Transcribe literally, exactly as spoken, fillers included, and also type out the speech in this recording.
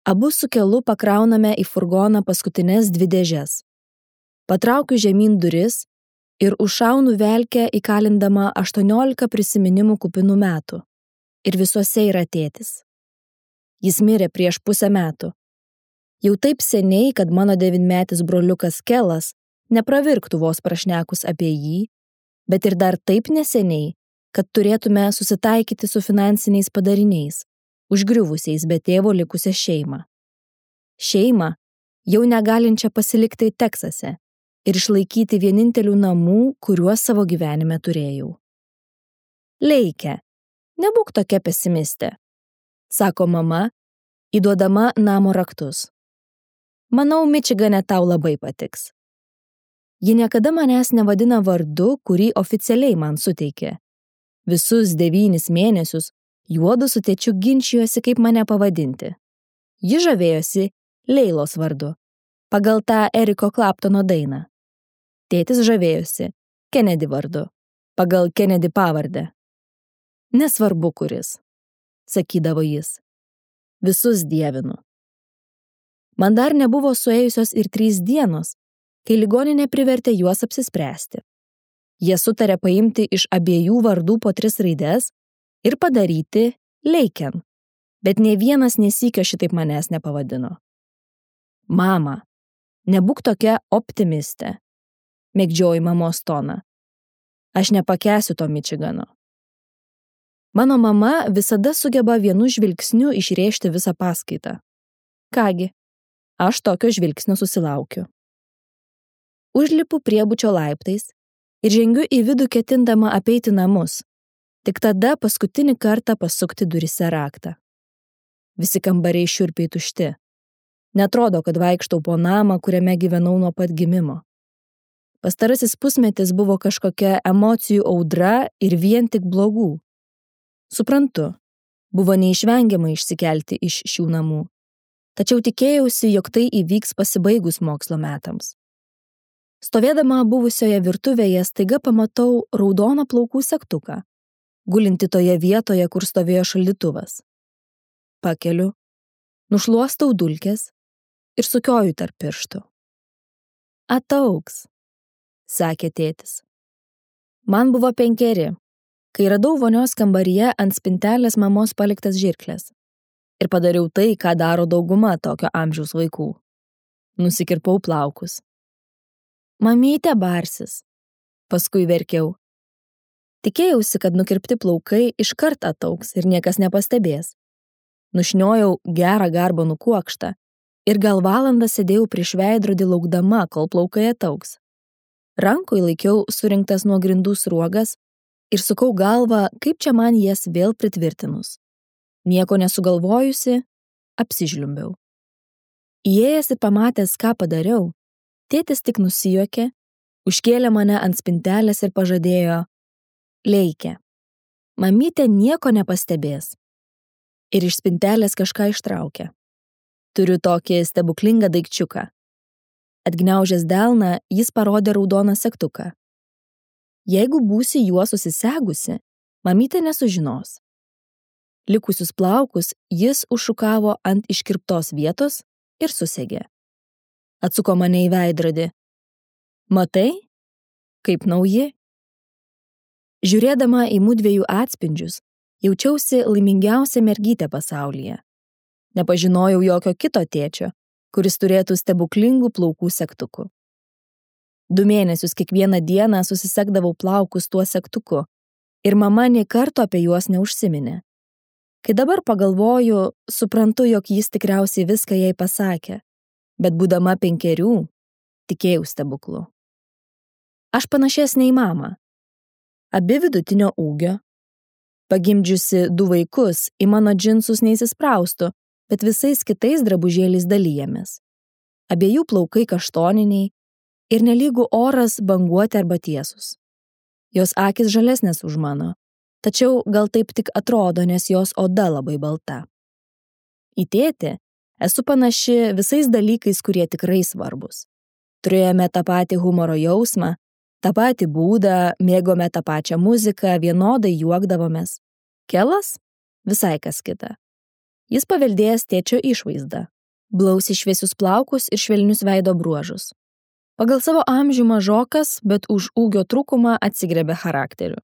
Abu su kelu pakrauname į furgoną paskutinės dvi dėžes. Patraukiu žemyn duris ir užšaunu velkę įkalindama aštuoniolika prisiminimų kupinų metų. Ir visuose yra tėtis. Jis mirė prieš pusę metų. Jau taip seniai, kad mano devynmetis broliukas Kelas nepravirktų vos prašnekus apie jį, bet ir dar taip neseniai, kad turėtume susitaikyti su finansiniais padariniais, užgriuvusiais be tėvo likusią šeimą. Šeimą, jau negalinčią pasilikti Teksase ir išlaikyti vienintelių namų, kuriuos savo gyvenime turėjau. Leike, nebūk tokia pesimistė, sako mama, įduodama namo raktus. Manau, Mičigane tau labai patiks. Ji niekada manęs nevadina vardu, kurį oficialiai man suteikė. Visus devynis mėnesius juodu su tėčiu ginčijosi, kaip mane pavadinti. Ji žavėjosi Leilos vardu, pagal tą Eriko Klaptono dainą. Tėtis žavėjosi Kennedy vardu, pagal Kennedy pavardę. Nesvarbu kuris, sakydavo jis. Visus dievinu. Man dar nebuvo suėjusios ir trys dienos, kai ligoninė privertė juos apsispręsti. Jie sutarė paimti iš abiejų vardų po tris raides ir padaryti Leiken, bet nė vienas nesykio šitaip manęs nepavadino. Mama, nebūk tokia optimistė, mėgdžioji mamos toną. Aš nepakęsiu to Mičigano. Mano mama visada sugeba vienu žvilgsniu išrėžti visą paskaitą. Kągi, aš tokio žvilgsnio susilaukiu. Užlipu priebučio laiptais ir žengiu į vidų ketindama apeiti namus, tik tada paskutinį kartą pasukti durise raktą. Visi kambariai šiurpiai tušti. Netrodo, kad vaikštau po namą, kuriame gyvenau nuo pat gimimo. Pastarasis pusmetis buvo kažkokia emocijų audra ir vien tik blogų. Suprantu, buvo neišvengiama išsikelti iš šių namų. Tačiau tikėjausi, jog tai įvyks pasibaigus mokslo metams. Stovėdama buvusioje virtuvėje staiga pamatau raudoną plaukų segtuką, gulinti toje vietoje, kur stovėjo šaldytuvas. Pakeliu, nušluostau dulkes ir sukioju tarp pirštų. Ataugs, sakė tėtis. Man buvo penkeri, kai radau vonios kambaryje ant spintelės mamos paliktas žirkles. Ir padariau tai, ką daro dauguma tokio amžiaus vaikų. Nusikirpau plaukus. Mamytė barsis. Paskui verkiau. Tikėjausi, kad nukirpti plaukai iškart ataugs ir niekas nepastebės. Nušniojau gerą garbanų kuokštą ir gal valandą sėdėjau prieš veidrodį laukdama, kol plaukai ataugs. Rankoje laikiau surinktas nuo grindų sruogas ir sukau galvą, kaip čia man jas vėl pritvirtinus. Nieko nesugalvojusi, apsižliumbiau. Įėjęs ir pamatęs, ką padariau, tėtis tik nusijuokė, užkėlė mane ant spintelės ir pažadėjo: Leike, mamytė nieko nepastebės. Ir iš spintelės kažką ištraukė. Turiu tokį stebuklingą daikčiuką. Atgniaužęs delną, jis parodė raudoną segtuką. Jeigu būsi juo susisegusi, mamytė nesužinos. Likusius plaukus jis užšukavo ant iškirptos vietos ir susegė. Atsuko mane į veidrodį. Matai? Kaip nauji? Žiūrėdama į mudviejų atspindžius, jaučiausi laimingiausia mergytė pasaulyje. Nepažinojau jokio kito tėčio, kuris turėtų stebuklingų plaukų segtukų. Du mėnesius kiekvieną dieną susisegdavau plaukus tuo segtuku ir mama nė karto apie juos neužsiminė. Kai dabar pagalvoju, suprantu, jog jis tikriausiai viską jai pasakė, bet būdama penkerių, tikėjau stebuklu. Aš panašesnė į mamą. Abi vidutinio ūgio. Pagimdžiusi du vaikus, į mano džinsus neįsispraustų, bet visais kitais drabužėliais dalyjamės. Abiejų plaukai kaštoniniai ir nelygų oras banguoti arba tiesus. Jos akys žalesnės už mano, tačiau gal taip tik atrodo, nes jos oda labai balta. Į tėtį esu panaši visais dalykais, kurie tikrai svarbus. Turėjome tą patį humoro jausmą, tą patį būdą, mėgome tą pačią muziką, vienodai juokdavomės. Kelas? Visai kas kita. Jis paveldėjęs tėčio išvaizdą, blausiai šviesius plaukus ir švelnius veido bruožus. Pagal savo amžių mažokas, bet už ūgio trūkumą atsigriebė charakteriu.